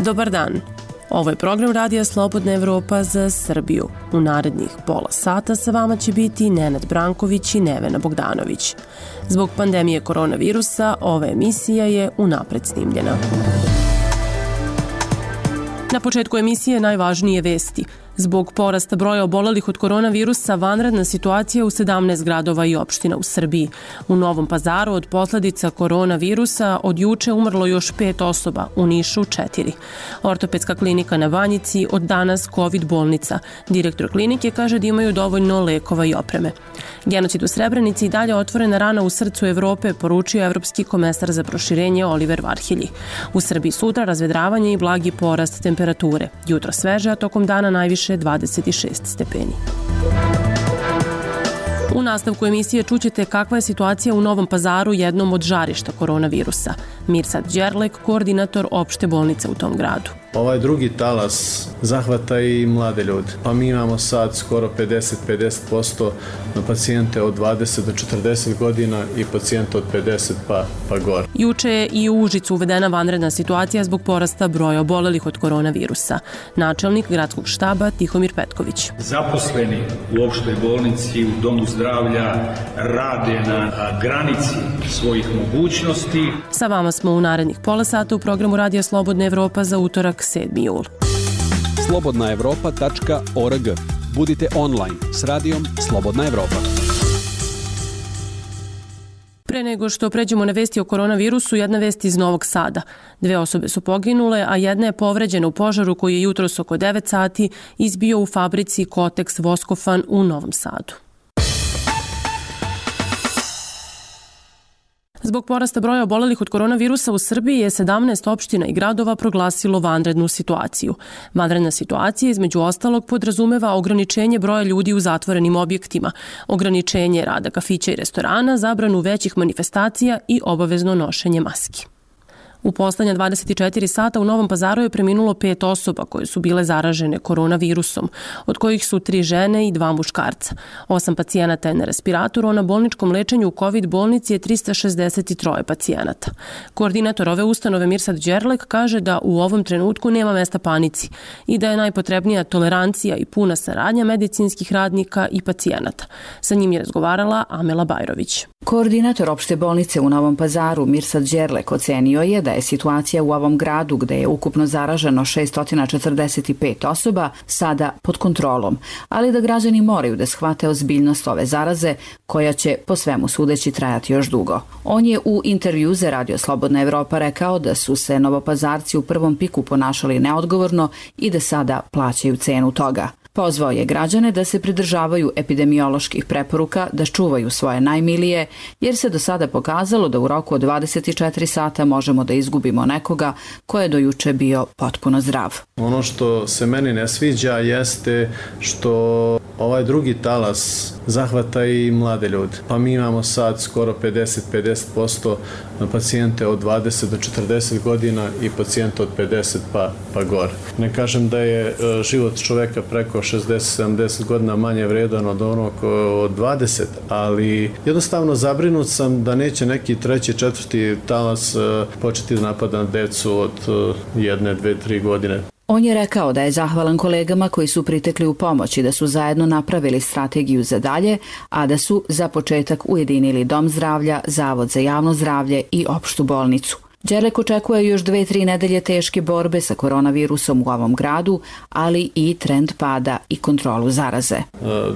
Dobar dan. Ovo je program Radija Slobodna Evropa za Srbiju. U narednih pola sata sa vama će biti Nenad Branković i Nevena Bogdanović. Zbog pandemije koronavirusa, ova emisija je unapred snimljena. Na početku emisije najvažnije vesti. Zbog porasta broja obolelih od koronavirusa, vanredna situacija u 17 gradova i opština u Srbiji. U Novom Pazaru od posledica koronavirusa od juče umrlo još 5 osoba, u Nišu 4. Ortopedska klinika na Banjici od danas COVID bolnica. Direktor klinike kaže da imaju dovoljno lekova i opreme. Genocid u Srebrenici i dalje otvorena rana u srcu Evrope, poručio evropski komesar za proširenje Oliver Varhelyi. U Srbiji sutra razvedravanje i blagi porast temperature. Jutro sveže, a tokom dana najviše 26 stepeni. U nastavku emisije čućete kakva je situacija u Novom Pazaru, jednom od žarišta koronavirusa. Mirsad Đerlek, koordinator opšte bolnice u tom gradu. Ovaj drugi talas zahvata i mlade ljude. Pa mi imamo sad skoro 50% na pacijente od 20 do 40 godina i pacijente od 50 pa gore. Juče je i u Užicu uvedena vanredna situacija zbog porasta broja obolelih od koronavirusa. Načelnik gradskog štaba Tihomir Petković. Zaposleni u opštoj bolnici, u domu zdravlja rade na granici svojih mogućnosti. Sa vama smo u narednih pola sata u programu Radija Slobodna Evropa za utorak 7. jul. slobodnaevropa.org. Budite online s radijom Slobodna Evropa. Pre nego što pređemo na vesti o koronavirusu, jedna vest iz Novog Sada. 2 osobe su poginule, a jedna je povređena u požaru koji je jutros oko 9 sati izbio u fabrici Kotex Voskofan u Novom Sadu. Zbog porasta broja obolelih od koronavirusa u Srbiji je 17 opština i gradova proglasilo vanrednu situaciju. Vanredna situacija između ostalog podrazumeva ograničenje broja ljudi u zatvorenim objektima, ograničenje rada kafića i restorana, zabranu većih manifestacija i obavezno nošenje maski. U poslednja 24 sata u Novom Pazaru je preminulo 5 osoba koje su bile zaražene koronavirusom, od kojih su 3 žene i 2 muškarca. 8 pacijenata je na respiratoru, a na bolničkom lečenju u COVID bolnici je 363 pacijenata. Koordinator ove ustanove Mirsad Đerlek kaže da u ovom trenutku nema mesta panici i da je najpotrebnija tolerancija i puna saradnja medicinskih radnika i pacijenata. Sa njim je razgovarala Amela Bajrović. Koordinator opšte bolnice u Novom Pazaru Mirsad Đerlek ocenio je da je situacija u ovom gradu, gde je ukupno zaraženo 645 osoba, sada pod kontrolom, ali da građani moraju da shvate ozbiljnost ove zaraze, koja će po svemu sudeći trajati još dugo. On je u intervju za Radio Slobodna Evropa rekao da su se Novopazarci u prvom piku ponašali neodgovorno i da sada plaćaju cenu toga. Pozvao je građane da se pridržavaju epidemioloških preporuka, da čuvaju svoje najmilije, jer se do sada pokazalo da u roku od 24 sata možemo da izgubimo nekoga ko je do juče bio potpuno zdrav. Ono što se meni ne sviđa jeste što ovaj drugi talas zahvata i mlade ljude. Pa mi imamo sad skoro 50% na pacijente od 20 do 40 godina i pacijente od 50 pa gore. Ne kažem da je život čoveka preko 60-70 godina manje vredan od onog od 20, ali jednostavno zabrinut sam da neće neki 3., 4. talas početi da napada na decu od 1, 2, 3 godine. On je rekao da je zahvalan kolegama koji su pritekli u pomoć i da su zajedno napravili strategiju za dalje, a da su za početak ujedinili Dom zdravlja, Zavod za javno zdravlje i opštu bolnicu. Đerlek očekuje još 2-3 nedelje teške borbe sa koronavirusom u ovom gradu, ali i trend pada i kontrolu zaraze.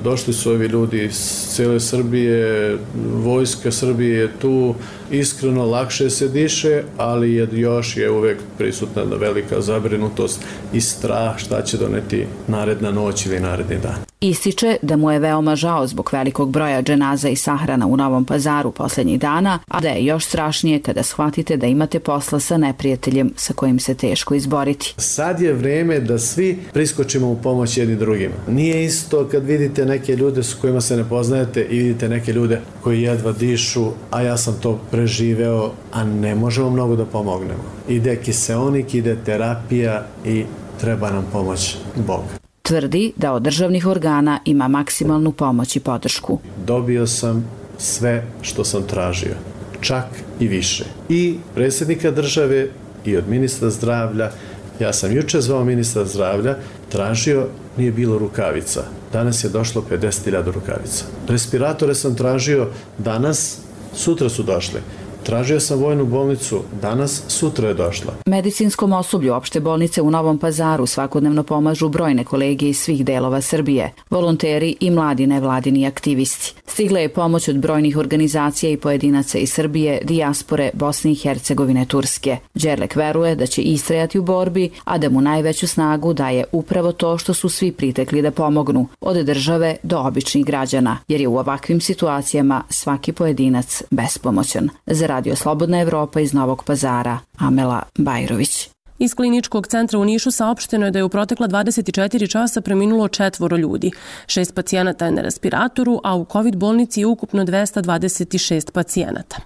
Došli su ovi ljudi iz cijele Srbije, vojska Srbije je tu, iskreno lakše se diše, ali još je uvek prisutna velika zabrinutost i strah šta će doneti naredna noć ili naredni dan. Ističe da mu je veoma žao zbog velikog broja dženaza i sahrana u Novom Pazaru poslednjih dana, a da je još strašnije kada shvatite da imate posla sa neprijateljem sa kojim se teško izboriti. Sad je vreme da svi priskočimo u pomoć jedni drugima. Nije isto kad vidite neke ljude s kojima se ne poznajete i vidite neke ljude koji jedva dišu, a ja sam to preživeo, a ne možemo mnogo da pomognemo. Ide kiseonik, ide terapija i treba nam pomoć Boga. Tvrdi da od državnih organa ima maksimalnu pomoć i podršku. Dobio sam sve što sam tražio, čak i više. I predsjednika države, i od ministra zdravlja, Ja sam juče zvao ministra zdravlja, tražio, nije bilo rukavica. Danas je došlo 50.000 rukavica. Respiratore sam tražio danas, sutra su došli. Tražio sam vojnu bolnicu, danas, sutra je došla. Medicinskom osoblju opšte bolnice u Novom Pazaru svakodnevno pomažu brojne kolege iz svih delova Srbije, volonteri i mladi nevladini aktivisti. Stigla je pomoć od brojnih organizacija i pojedinaca iz Srbije, dijaspore, Bosne i Hercegovine, Turske. Đerlek veruje da će istrajati u borbi, a da mu najveću snagu daje upravo to što su svi pritekli da pomognu, od države do običnih građana, jer je u ovakvim situacijama svaki pojedinac bespomoćan. Za Radio Slobodna Evropa iz Novog Pazara, Amela Bajrović. Iz kliničkog centra u Nišu saopšteno je da je u protekla 24 časa preminulo 4 ljudi. 6 pacijenata je na respiratoru, a u COVID bolnici je ukupno 226 pacijenata.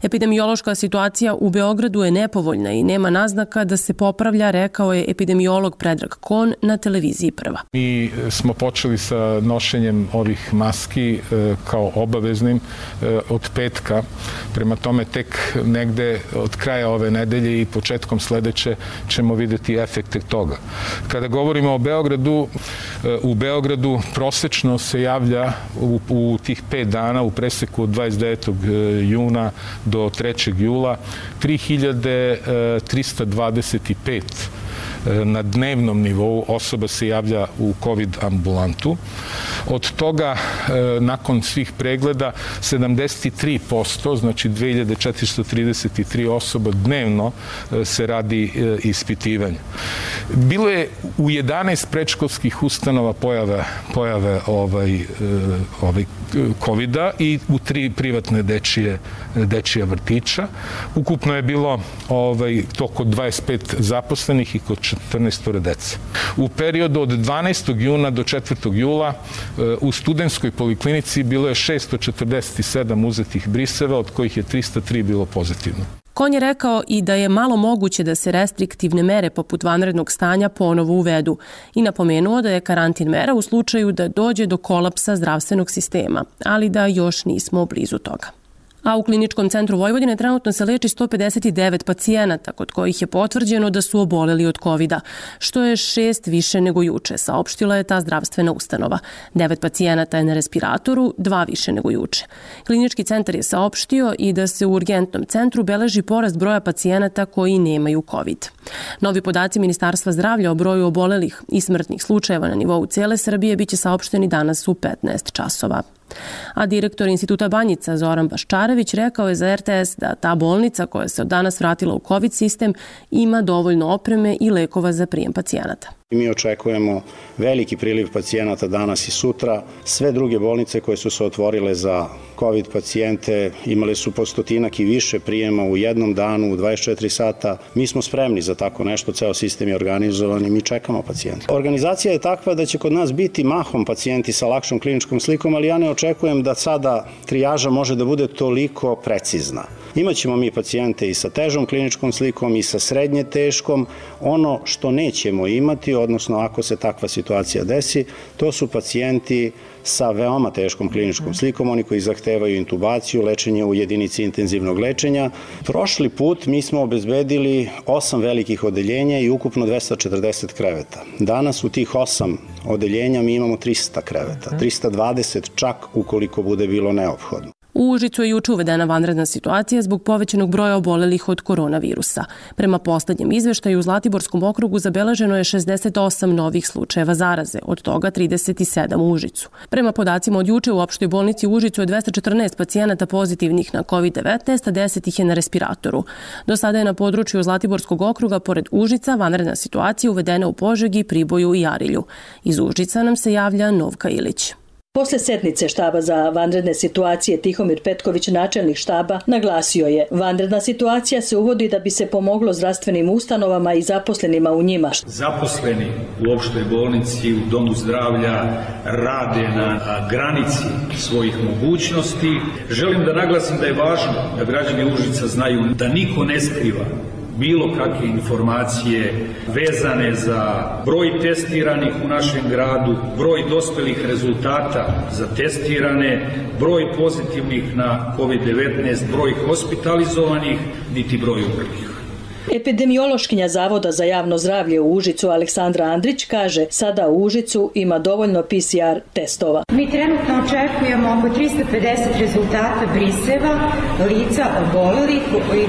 Epidemiološka situacija u Beogradu je nepovoljna i nema naznaka da se popravlja, rekao je epidemiolog Predrag Kon na televiziji Prva. Mi smo počeli sa nošenjem ovih maski kao obaveznim od petka. Prema tome tek negde od kraja ove nedelje i početkom sledeće ćemo videti efekte toga. Kada govorimo o Beogradu, u Beogradu prosečno se javlja u tih 5 dana u preseku od 29. juna do 3. jula 3325 na dnevnom nivou osoba se javlja u COVID ambulantu. Od toga, nakon svih pregleda, 73%, znači 2433 osoba dnevno se radi ispitivanje. Bilo je u 11 predškolskih ustanova pojave COVID-a i u 3 privatne dečije vrtića. Ukupno je bilo to kod 25 zaposlenih i kod 14 dece. U periodu od 12. juna do 4. jula u Studentskoj poliklinici bilo je 647 uzetih briseva, od kojih je 303 bilo pozitivno. Kon je rekao i da je malo moguće da se restriktivne mere poput vanrednog stanja ponovo uvedu i napomenuo da je karantin mera u slučaju da dođe do kolapsa zdravstvenog sistema, ali da još nismo blizu toga. A u Kliničkom centru Vojvodine trenutno se leči 159 pacijenata, kod kojih je potvrđeno da su oboleli od COVID-a, što je 6 više nego juče, saopštila je ta zdravstvena ustanova. 9 pacijenata je na respiratoru, 2 više nego juče. Klinički centar je saopštio i da se u urgentnom centru beleži porast broja pacijenata koji nemaju COVID. Novi podaci Ministarstva zdravlja o broju obolelih i smrtnih slučajeva na nivou cele Srbije biće saopšteni danas u 15 časova. A direktor Instituta Banjica Zoran Baščarević rekao je za RTS da ta bolnica koja se od danas vratila u COVID sistem ima dovoljno opreme i lekova za prijem pacijenata. Mi očekujemo veliki priliv pacijenata danas i sutra. Sve druge bolnice koje su se otvorile za COVID pacijente imale su po stotinak i više prijema u jednom danu, u 24 sata. Mi smo spremni za tako nešto, ceo sistem je organizovan i mi čekamo pacijente. Organizacija je takva da će kod nas biti mahom pacijenti sa lakšom kliničkom slikom, ali ja ne očekujem da sada trijaža može da bude toliko precizna. Imaćemo mi pacijente i sa težom kliničkom slikom i sa srednje teškom. Ono što nećemo imati, odnosno ako se takva situacija desi, to su pacijenti sa veoma teškom kliničkom slikom, oni koji zahtevaju intubaciju, lečenje u jedinici intenzivnog lečenja. Prošli put mi smo obezbedili 8 velikih odeljenja i ukupno 240 kreveta. Danas u tih 8 odeljenja mi imamo 300 kreveta, 320 čak ukoliko bude bilo neophodno. U Užicu je juče uvedena vanredna situacija zbog povećanog broja obolelih od koronavirusa. Prema poslednjem izveštaju u Zlatiborskom okrugu zabeleženo je 68 novih slučajeva zaraze, od toga 37 u Užicu. Prema podacima od juče u opštoj bolnici u Užicu je 214 pacijenata pozitivnih na COVID-19, a 10 ih je na respiratoru. Do sada je na području Zlatiborskog okruga pored Užica vanredna situacija uvedena u Požegi, Priboju i Arilju. Iz Užica nam se javlja Novka Ilić. Posle sednice štaba za vanredne situacije Tihomir Petković, načelnik štaba, naglasio je: vanredna situacija se uvodi da bi se pomoglo zdravstvenim ustanovama i zaposlenima u njima. Zaposleni u opštoj bolnici, u domu zdravlja rade na granici svojih mogućnosti. Želim da naglasim da je važno da građani Užica znaju da niko ne skriva bilo kakve informacije vezane za broj testiranih u našem gradu, broj dospelih rezultata za testirane, broj pozitivnih na COVID-19, broj hospitalizovanih, niti broj umrlih. Epidemiološkinja Zavoda za javno zdravlje u Užicu Aleksandra Andrić kaže sada u Užicu ima dovoljno PCR testova. Mi trenutno očekujemo oko 350 rezultata briseva lica obolelih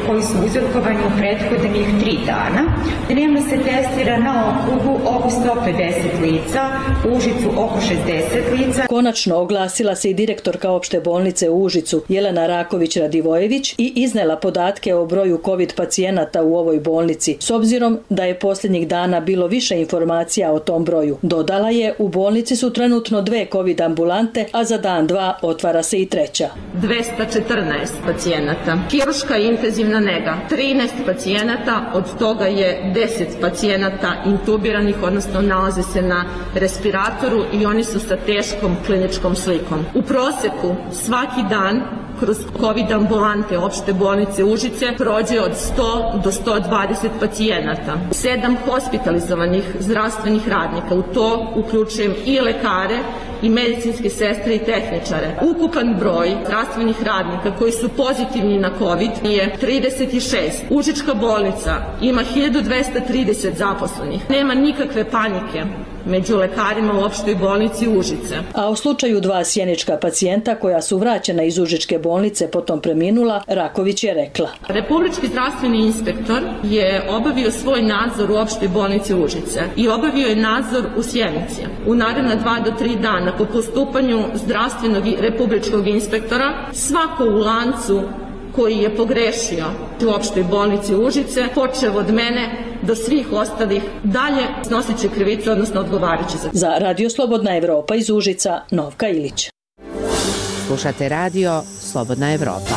koji su uzrokovani u prethodnih 3 dana. Dnevno se testira na okrugu oko 150 lica, u Užicu oko 60 lica. Konačno oglasila se i direktorka opšte bolnice u Užicu Jelena Raković-Radivojević i iznela podatke o broju COVID pacijenata u ovoj bolnici, s obzirom da je posljednjih dana bilo više informacija o tom broju. Dodala je, u bolnici su trenutno 2 COVID ambulante, a za dan 2 otvara se i 3. 214 pacijenata. Kirurška i intenzivna nega, 13 pacijenata, od toga je 10 pacijenata intubiranih, odnosno nalaze se na respiratoru i oni su sa teškom kliničkom slikom. U proseku svaki dan kroz COVID ambulante opšte bolnice Užice prođe od 100 do 120 pacijenata. 7 hospitalizovanih zdravstvenih radnika, u to uključujem i lekare i medicinske sestre i tehničare. Ukupan broj zdravstvenih radnika koji su pozitivni na COVID je 36. Užička bolnica ima 1230 zaposlenih. Nema nikakve panike među lekarima u opštoj bolnici Užice. A u slučaju 2 sjenička pacijenta koja su vraćena iz Užičke bolnice potom preminula, Raković je rekla. Republički zdravstveni inspektor je obavio svoj nadzor u opštoj bolnici Užice i obavio je nadzor u Sjenici. U naredna 2 do 3 dana po postupanju zdravstvenog i republičkog inspektora svako u lancu koji je pogrešio u opštoj bolnici Užice, počev od mene do svih ostalih, dalje snosit će krivicu, odnosno odgovarat će za Radio Slobodna Evropa iz Užica, Novka Ilić. Slušate Radio Slobodna Evropa.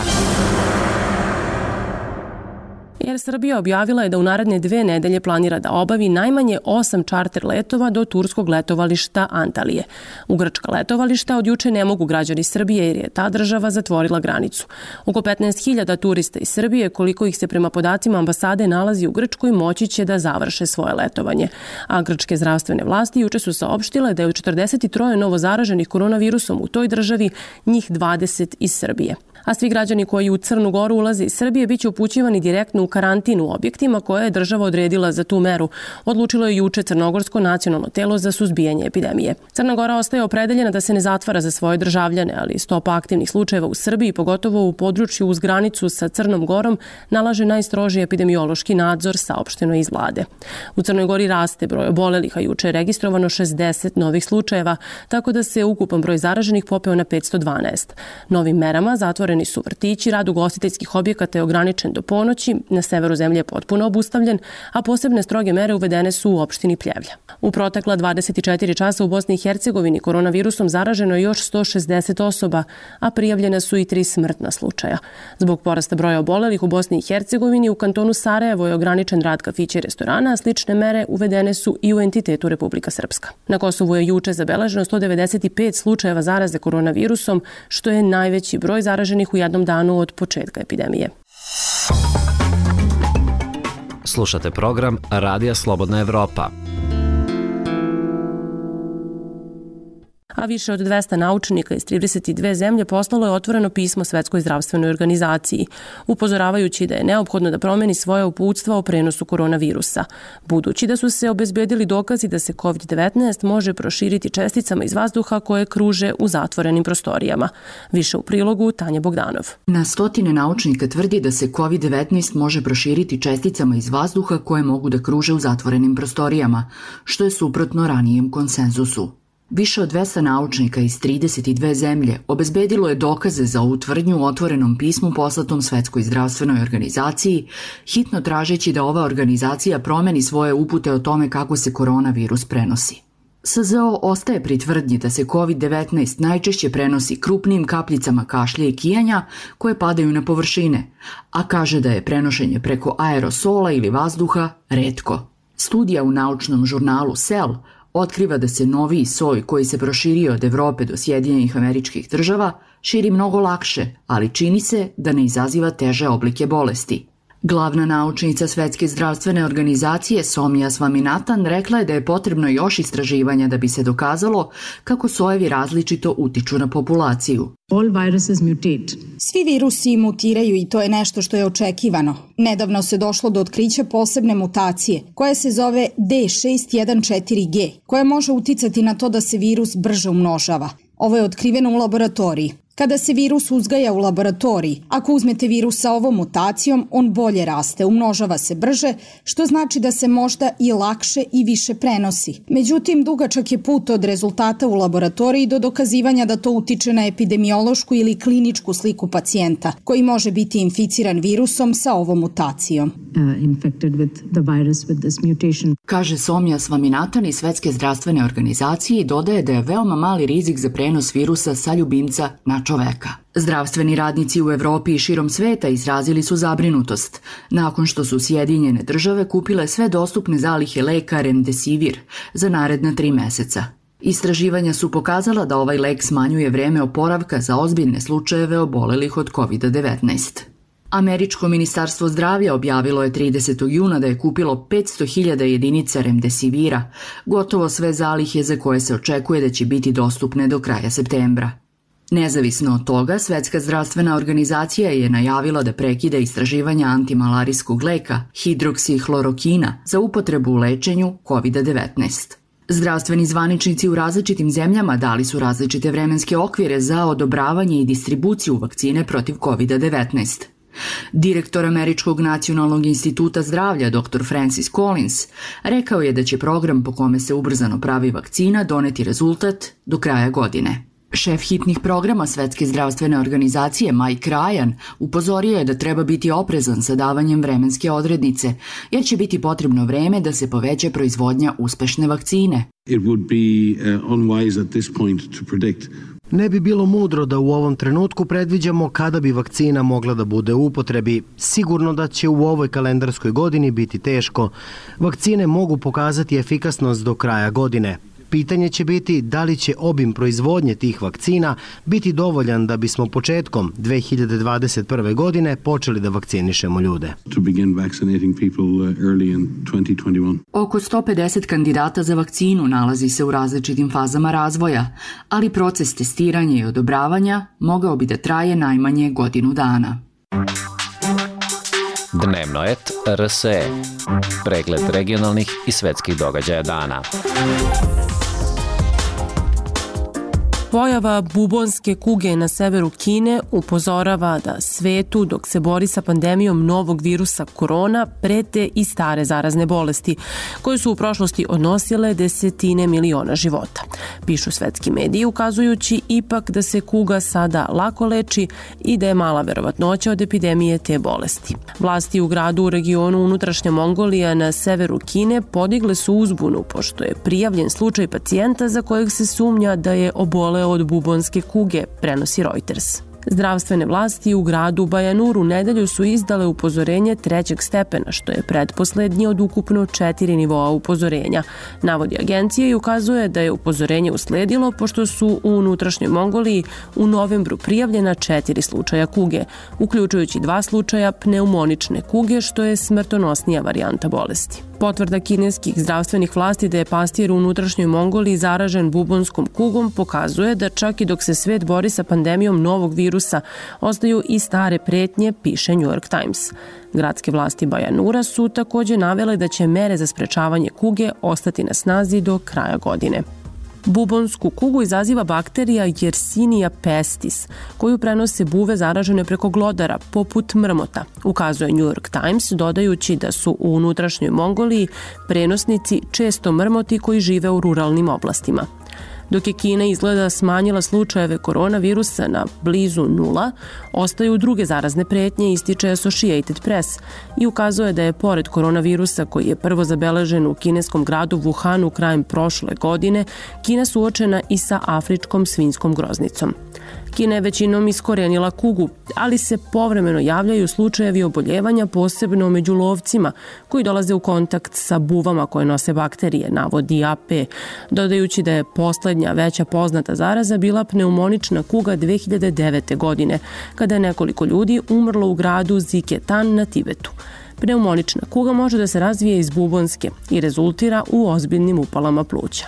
Air Srbija objavila je da u naredne 2 nedelje planira da obavi najmanje 8 čarter letova do turskog letovališta Antalije. U grčka letovališta od juče ne mogu građani Srbije jer je ta država zatvorila granicu. Oko 15.000 turista iz Srbije, koliko ih se prema podacima ambasade nalazi u Grčkoj, moći će da završe svoje letovanje. A grčke zdravstvene vlasti juče su saopštile da je od 43 novo zaraženih koronavirusom u toj državi, njih 20 iz Srbije. A svi građani koji u Crnu Goru ulaze iz Srbije biće upućivani direktno u karantin u objektima koje je država odredila za tu meru, odlučilo je juče Crnogorsko nacionalno telo za suzbijanje epidemije. Crna Gora ostaje opredeljena da se ne zatvara za svoje državljane, ali stopa aktivnih slučajeva u Srbiji, pogotovo u području uz granicu sa Crnom Gorom, nalaže najstrožiji epidemiološki nadzor, saopšteno iz vlade. U Crnoj Gori raste broj obolelih, a juče je registrovano 60 novih slučajeva, tako da se ukupan broj zaraženih popeo na 512. Novim merama zatvoreni su vrtići, rad ugostiteljskih objekata je ograničen do ponoći, na severu zemlje je potpuno obustavljen, a posebne stroge mere uvedene su u opštini Pljevlja. U protekla 24 časa u Bosni i Hercegovini koronavirusom zaraženo je još 160 osoba, a prijavljena su i 3 smrtna slučaja. Zbog porasta broja obolelih u Bosni i Hercegovini u kantonu Sarajevo je ograničen rad kafića i restorana, a slične mere uvedene su i u entitetu Republika Srpska. Na Kosovu je juče zabeleženo 195 slučajeva zaraze koronavirusom, što je najveći broj zaraženih u jednom danu od početka epidemije. Slušate program Radija Slobodna Evropa. A više od 200 naučnika iz 32 zemlje poslalo je otvoreno pismo Svetskoj zdravstvenoj organizaciji, upozoravajući da je neophodno da promeni svoje uputstva o prenosu koronavirusa, budući da su se obezbedili dokazi da se COVID-19 može proširiti česticama iz vazduha koje kruže u zatvorenim prostorijama. Više u prilogu Tanja Bogdanov. Na stotine naučnika tvrdi da se COVID-19 može proširiti česticama iz vazduha koje mogu da kruže u zatvorenim prostorijama, što je suprotno ranijem konsenzusu. Više od 200 naučnika iz 32 zemlje obezbedilo je dokaze za ovu tvrdnju u otvorenom pismu poslatom Svetskoj zdravstvenoj organizaciji, hitno tražeći da ova organizacija promeni svoje upute o tome kako se koronavirus prenosi. SZO ostaje pri tvrdnji da se COVID-19 najčešće prenosi krupnim kapljicama kašlja i kijanja koje padaju na površine, a kaže da je prenošenje preko aerosola ili vazduha retko. Studija u naučnom žurnalu Cell otkriva da se noviji soj koji se proširio od Evrope do Sjedinjenih Američkih Država širi mnogo lakše, ali čini se da ne izaziva teže oblike bolesti. Glavna naučnica Svetske zdravstvene organizacije Somia Swaminathan rekla je da je potrebno još istraživanja da bi se dokazalo kako sojevi različito utiču na populaciju. Svi virusi mutiraju i to je nešto što je očekivano. Nedavno se došlo do otkrića posebne mutacije koja se zove D614G, koja može uticati na to da se virus brže umnožava. Ovo je otkriveno u laboratoriji. Kada se virus uzgaja u laboratoriji, ako uzmete virus sa ovom mutacijom, on bolje raste, umnožava se brže, što znači da se možda i lakše i više prenosi. Međutim, dugačak je put od rezultata u laboratoriji do dokazivanja da to utiče na epidemiološku ili kliničku sliku pacijenta, koji može biti inficiran virusom sa ovom mutacijom. Kaže Somia Swaminathan iz Svetske zdravstvene organizacije i dodaje da je veoma mali rizik za prenos virusa sa ljubimca na čoveka. Zdravstveni radnici u Evropi i širom sveta izrazili su zabrinutost nakon što su Sjedinjene države kupile sve dostupne zalihe leka Remdesivir za naredna 3 meseca. Istraživanja su pokazala da ovaj lek smanjuje vreme oporavka za ozbiljne slučajeve obolelih od COVID-19. Američko ministarstvo zdravlja objavilo je 30. juna da je kupilo 500.000 jedinica Remdesivira, gotovo sve zalihe za koje se očekuje da će biti dostupne do kraja septembra. Nezavisno od toga, Svetska zdravstvena organizacija je najavila da prekida istraživanja antimalarijskog leka hidroksihlorokina za upotrebu u lečenju COVID-19. Zdravstveni zvaničnici u različitim zemljama dali su različite vremenske okvire za odobravanje i distribuciju vakcine protiv COVID-19. Direktor Američkog nacionalnog instituta zdravlja dr. Francis Collins rekao je da će program po kome se ubrzano pravi vakcina doneti rezultat do kraja godine. Šef hitnih programa Svetske zdravstvene organizacije Mike Ryan upozorio je da treba biti oprezan sa davanjem vremenske odrednice, jer će biti potrebno vreme da se poveća proizvodnja uspešne vakcine. Ne bi bilo mudro da u ovom trenutku predviđamo kada bi vakcina mogla da bude u upotrebi. Sigurno da će u ovoj kalendarskoj godini biti teško. Vakcine mogu pokazati efikasnost do kraja godine. Pitanje će biti da li će obim proizvodnje tih vakcina biti dovoljan da bismo početkom 2021. godine počeli da vakcinišemo ljude. Oko 150 kandidata za vakcinu nalazi se u različitim fazama razvoja, ali proces testiranja i odobravanja mogao bi da traje najmanje godinu dana. Dnevnoet RSE. Pregled regionalnih i svetskih događaja dana. Pojava bubonske kuge na severu Kine upozorava da svetu, dok se bori sa pandemijom novog virusa korona, prete i stare zarazne bolesti, koje su u prošlosti odnosile desetine miliona života. Pišu svetski mediji, ukazujući ipak da se kuga sada lako leči i da je mala verovatnoća od epidemije te bolesti. Vlasti u gradu u regionu unutrašnja Mongolija na severu Kine podigle su uzbunu, pošto je prijavljen slučaj pacijenta za kojeg se sumnja da je oboleo od bubonske kuge, prenosi Reuters. Zdravstvene vlasti u gradu Bajanur u nedelju su izdale upozorenje 3. stepena, što je pretposlednje od ukupno 4 nivoa upozorenja. Navodi agencija i ukazuje da je upozorenje usledilo pošto su u unutrašnjoj Mongoliji u novembru prijavljena 4 slučaja kuge, uključujući 2 slučaja pneumonične kuge, što je smrtonosnija varijanta bolesti. Potvrda kineskih zdravstvenih vlasti da je pastir u unutrašnjoj Mongoliji zaražen bubonskom kugom pokazuje da čak i dok se svet bori sa pandemijom novog virusa, ostaju i stare pretnje, piše New York Times. Gradske vlasti Bajanura su takođe navele da će mere za sprečavanje kuge ostati na snazi do kraja godine. Bubonsku kugu izaziva bakterija Yersinia pestis, koju prenose buve zaražene preko glodara, poput mrmota, ukazuje New York Times, dodajući da su u unutrašnjoj Mongoliji prenosnici često mrmoti koji žive u ruralnim oblastima. Dok je Kina izgleda smanjila slučajeve koronavirusa na blizu 0, ostaju druge zarazne pretnje, ističe Associated Press i ukazuje da je pored koronavirusa koji je prvo zabeležen u kineskom gradu Wuhanu krajem prošle godine, Kina suočena i sa afričkom svinjskom groznicom. Kina je većinom iskorenila kugu, ali se povremeno javljaju slučajevi oboljevanja, posebno među lovcima koji dolaze u kontakt sa buvama koje nose bakterije, navodi AP, dodajući da je poslednja veća poznata zaraza bila pneumonična kuga 2009. godine, kada je nekoliko ljudi umrlo u gradu Ziketan na Tibetu. Pneumonična kuga može da se razvije iz bubonske i rezultira u ozbiljnim upalama pluća.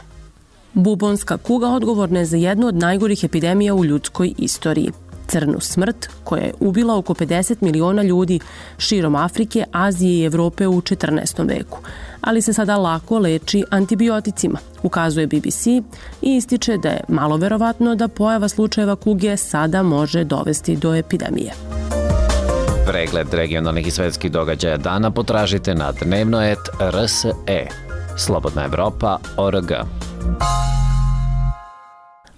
Bubonska kuga odgovorna je za jednu od najgorih epidemija u ljudskoj istoriji. Crnu smrt, koja je ubila oko 50 miliona ljudi širom Afrike, Azije i Evrope u 14. veku, ali se sada lako leči antibioticima, ukazuje BBC i ističe da je malo verovatno da pojava slučajeva kuge sada može dovesti do epidemije. Pregled regionalnih i svetskih događaja dana potražite na dnevno.rs.e. Slobodna Evropa.org.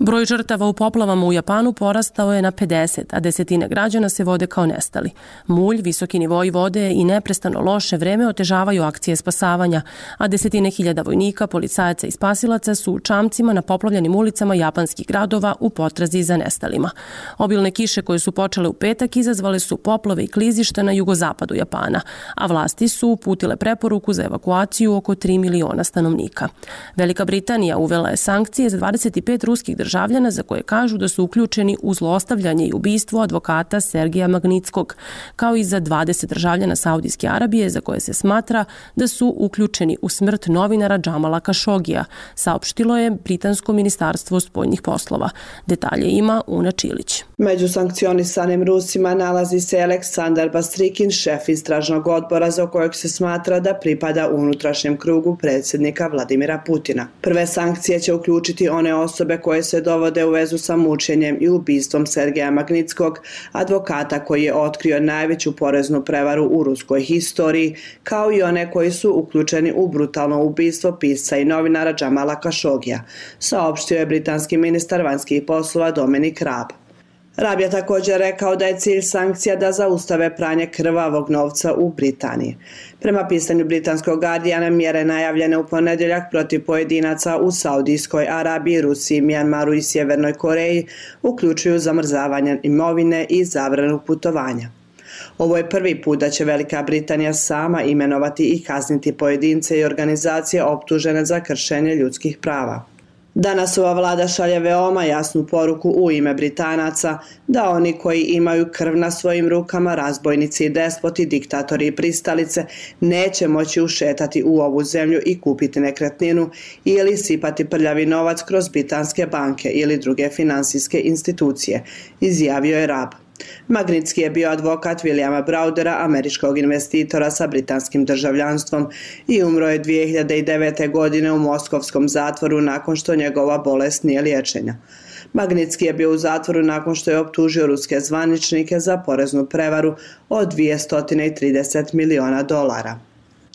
Broj žrtava u poplavama u Japanu porastao je na 50, a desetine građana se vode kao nestali. Mulj, visoki nivoi vode i neprestano loše vreme otežavaju akcije spasavanja, a desetine hiljada vojnika, policajaca i spasilaca su u čamcima na poplavljenim ulicama japanskih gradova u potrazi za nestalima. Obilne kiše koje su počele u petak izazvale su poplave i klizišta na jugozapadu Japana, a vlasti su uputile preporuku za evakuaciju oko 3 miliona stanovnika. Velika Britanija uvela je sankcije za 25 ruskih državljana za koje kažu da su uključeni u zlostavljanje i ubistvo advokata Sergeja Magnitskog, kao i za 20 državljana Saudijske Arabije za koje se smatra da su uključeni u smrt novinara Džamala Kašogija, saopštilo je Britansko ministarstvo spoljnih poslova. Detalje ima Una Čilić. Među sankcionisanim Rusima nalazi se Aleksandar Bastrikin, šef istražnog odbora za kojeg se smatra da pripada unutrašnjem krugu predsjednika Vladimira Putina. Prve sankcije će uključiti one osobe koje se dovode u vezu sa mučenjem i ubistvom Sergeja Magnitskog, advokata koji je otkrio najveću poreznu prevaru u ruskoj historiji, kao i one koji su uključeni u brutalno ubistvo pisca i novinara Džamala Kašogija, saopštio je britanski ministar vanjskih poslova Dominic Raab. Raab je također rekao da je cilj sankcija da zaustave pranje krvavog novca u Britaniji. Prema pisanju britanskog Guardiana, mjere najavljene u ponedjeljak protiv pojedinaca u Saudijskoj Arabiji, Rusiji, Mjanmaru i Sjevernoj Koreji uključuju zamrzavanje imovine i zabranu putovanja. Ovo je prvi put da će Velika Britanija sama imenovati i kazniti pojedince i organizacije optužene za kršenje ljudskih prava. Danas ova vlada šalje veoma jasnu poruku u ime Britanaca da oni koji imaju krv na svojim rukama, razbojnici i despoti, diktatori i pristalice, neće moći ušetati u ovu zemlju i kupiti nekretninu ili sipati prljavi novac kroz britanske banke ili druge finansijske institucije, izjavio je Raab. Magnitski je bio advokat Williama Browdera, američkog investitora sa britanskim državljanstvom, i umro je 2009. godine u moskovskom zatvoru nakon što njegova bolest nije liječenja. Magnitski je bio u zatvoru nakon što je optužio ruske zvaničnike za poreznu prevaru od $230 miliona.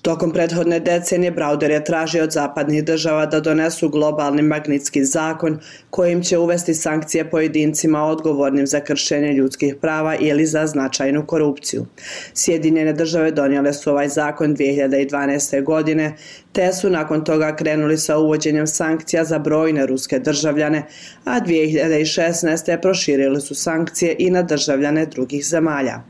Tokom prethodne decenije Browder je tražio od zapadnih država da donesu globalni Magnitski zakon kojim će uvesti sankcije pojedincima odgovornim za kršenje ljudskih prava ili za značajnu korupciju. Sjedinjene države donijele su ovaj zakon 2012. godine, te su nakon toga krenuli sa uvođenjem sankcija za brojne ruske državljane, a 2016. proširili su sankcije i na državljane drugih zemalja.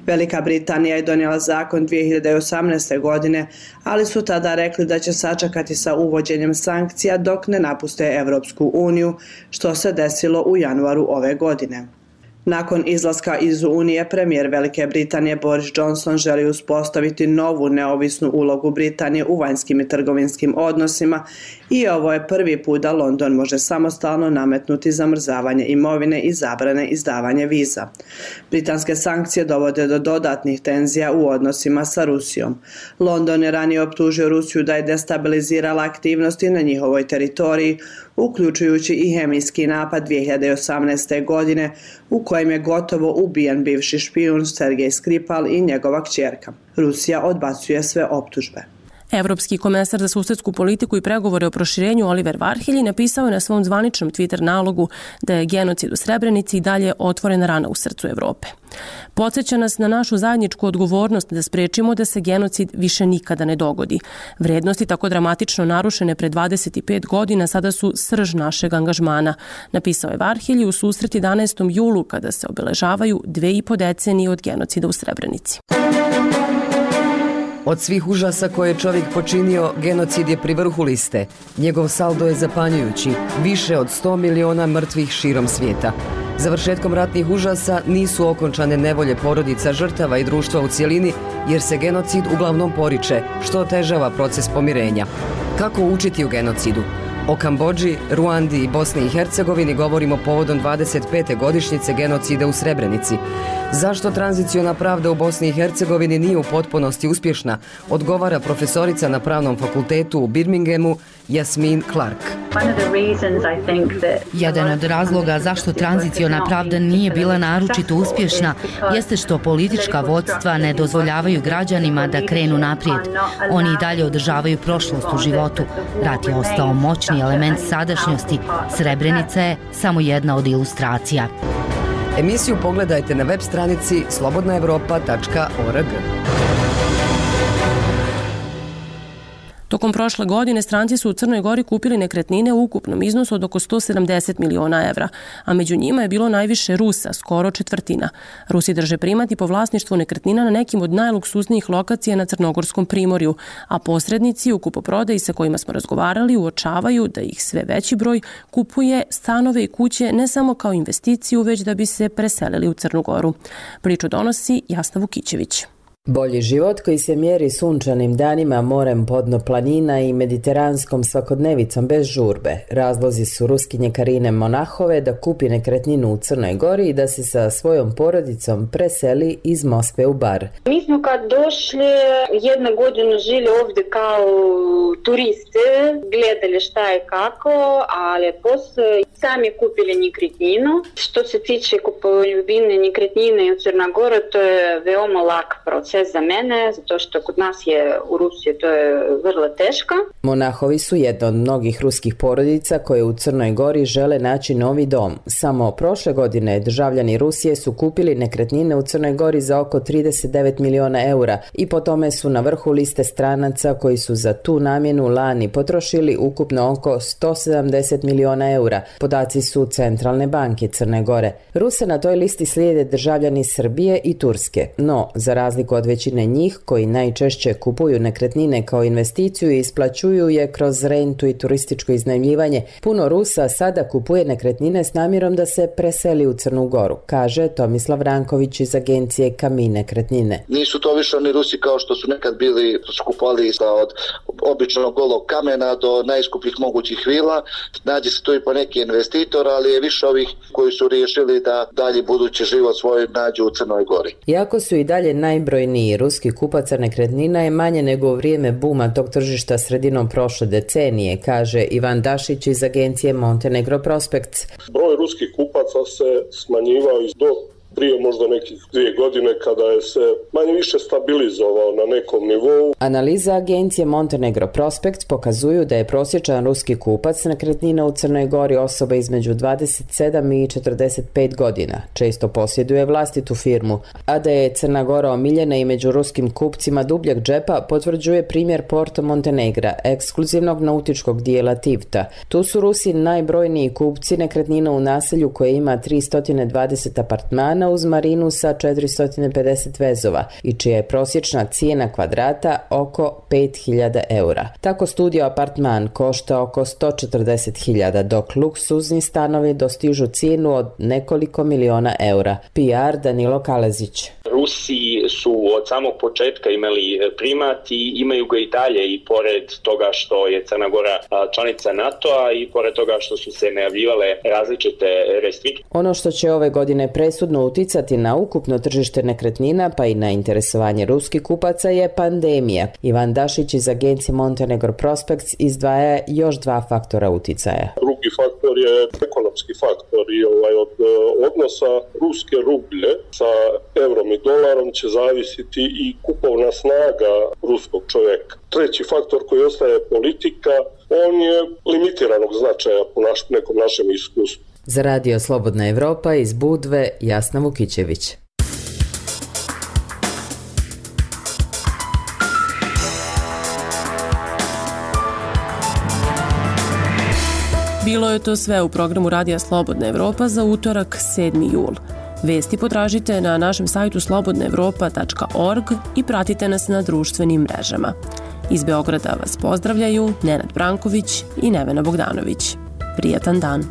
Velika Britanija je donijela zakon 2018. godine, ali su tada rekli da će sačekati sa uvođenjem sankcija dok ne napuste Evropsku uniju, što se desilo u januaru ove godine. Nakon izlaska iz Unije, premijer Velike Britanije Boris Johnson želi uspostaviti novu neovisnu ulogu Britanije u vanjskim i trgovinskim odnosima i ovo je prvi put da London može samostalno nametnuti zamrzavanje imovine i zabrane izdavanje viza. Britanske sankcije dovode do dodatnih tenzija u odnosima sa Rusijom. London je ranije optužio Rusiju da je destabilizirala aktivnosti na njihovoj teritoriji, uključujući i hemijski napad 2018. godine u kojem je gotovo ubijen bivši špijun Sergej Skripal i njegova kćerka. Rusija odbacuje sve optužbe. Evropski komesar za susedsku politiku i pregovore o proširenju Oliver Varhelji napisao je na svom zvaničnom Twitter nalogu da je genocid u Srebrenici i dalje otvorena rana u srcu Evrope. Podsjeća nas na našu zajedničku odgovornost da sprečimo da se genocid više nikada ne dogodi. Vrednosti tako dramatično narušene pre 25 godina sada su srž našeg angažmana, napisao je Varhelji u susret 11. julu kada se obeležavaju 2,5 decenije od genocida u Srebrenici. Od svih užasa koje je čovjek počinio, genocid je pri vrhu liste. Njegov saldo je zapanjujući, više od 100 miliona mrtvih širom svijeta. Završetkom ratnih užasa nisu okončane nevolje porodica žrtava i društva u cjelini, jer se genocid uglavnom poriče, što otežava proces pomirenja. Kako učiti u genocidu? O Kambodži, Ruandi i Bosni i Hercegovini govorimo povodom 25. godišnjice genocida u Srebrenici. Zašto tranziciona pravda u Bosni i Hercegovini nije u potpunosti uspješna, odgovara profesorica na Pravnom fakultetu u Birminghamu Jasmin Clark. Jedan od razloga zašto tranziciona pravda nije bila naročito uspješna jeste što politička vodstva ne dozvoljavaju građanima da krenu naprijed. Oni i dalje održavaju prošlost u životu. Rat je ostao moćni element sadašnjosti. Srebrenica je samo jedna od ilustracija. Emisiju pogledajte na web stranici slobodnaevropa.org. Tokom prošle godine stranci su u Crnoj Gori kupili nekretnine u ukupnom iznosu od oko 170 miliona evra, a među njima je bilo najviše Rusa, skoro četvrtina. Rusi drže primat i po vlasništvu nekretnina na nekim od najluksuznijih lokacija na Crnogorskom primorju, a posrednici u kupoprodaji sa kojima smo razgovarali uočavaju da ih sve veći broj kupuje stanove i kuće ne samo kao investiciju, već da bi se preselili u Crnu Goru. Priču donosi Jasna Vukićević. Bolji život koji se mjeri sunčanim danima, morem podno planina i mediteranskom svakodnevicom bez žurbe. Razlozi su Ruskinje Karine Monahove da kupi nekretninu u Crnoj Gori i da se sa svojom porodicom preseli iz Moskve u Bar. Mi smo kad došli, jednu godinu žili ovdje kao turiste, gledali šta je kako, ali poslije sami kupili nekretninu. Što se tiče kupovine nekretnine u Crnoj Gori, to je veoma lak proces za mene, zato što kod nas je u Rusiji to je vrlo teško. Monahovi su jedna od mnogih ruskih porodica koje u Crnoj Gori žele naći novi dom. Samo prošle godine državljani Rusije su kupili nekretnine u Crnoj Gori za oko 39 miliona eura i po tome su na vrhu liste stranaca koji su za tu namjenu lani potrošili ukupno oko 170 miliona eura. Podaci su Centralne banke Crne Gore. Ruse na toj listi slijede državljani Srbije i Turske, no za razliku od većine njih koji najčešće kupuju nekretnine kao investiciju i isplaćuju je kroz rentu i turističko iznajmljivanje, puno Rusa sada kupuje nekretnine s namjerom da se preseli u Crnu Goru, kaže Tomislav Ranković iz agencije Kamin nekretnine. Nisu to više oni Rusi kao što su nekad bili skupovali od običnog golog kamena do najskupljih mogućih vila. Nađe se tu i po neki investitor, ali je više ovih koji su riješili da dalje budući život svoj nađu u Crnoj Gori. Iako su i dalje najbrojniji ruski kupaca nekretnina je manje nego u vrijeme buma tog tržišta sredinom prošle decenije, kaže Ivan Dašić iz agencije Montenegro Prospects. Broj ruskih kupaca se smanjivao do prije možda nekih 2 godine kada je se manje više stabilizovao na nekom nivou. Analiza agencije Montenegro Prospects pokazuju da je prosječan ruski kupac nekretnina u Crnoj Gori osoba između 27 i 45 godina. Često posjeduje vlastitu firmu, a da je Crna Gora omiljena i među ruskim kupcima dubljeg džepa potvrđuje primjer Porto Montenegra, ekskluzivnog nautičkog dijela Tivta. Tu su Rusi najbrojniji kupci nekretnina u naselju koje ima 320 apartmana uz marinu sa 450 vezova i čija je prosječna cijena kvadrata oko 5.000 eura. Tako studio apartman košta oko 140.000, dok luksuzni stanovi dostižu cijenu od nekoliko miliona eura. PR Danilo Kalezić. Rusi su od samog početka imali primat i imaju ga i dalje i pored toga što je Crna Gora članica NATO-a i pored toga što su se najavljivale različite restrikcije. Ono što će ove godine presudno uticati na ukupno tržište nekretnina pa i na interesovanje ruskih kupaca je pandemija. Ivan Dašić iz agencije Montenegro Prospects izdvaja još 2 faktora uticaja. Drugi faktor je ekonomski faktor i od odnosa ruske rublje sa eurom i dolarom će zavisiti i kupovna snaga ruskog čoveka. Treći faktor koji ostaje politika, on je limitiranog značaja po nekom našem iskustvu. Za Radio Slobodna Evropa iz Budve, Jasna Vukićević. Bilo je to sve u programu Radija Slobodna Evropa za utorak 7. jul. Vesti potražite na našem sajtu slobodnaevropa.org i pratite nas na društvenim mrežama. Iz Beograda vas pozdravljaju Nenad Branković i Nevena Bogdanović. Prijatan dan!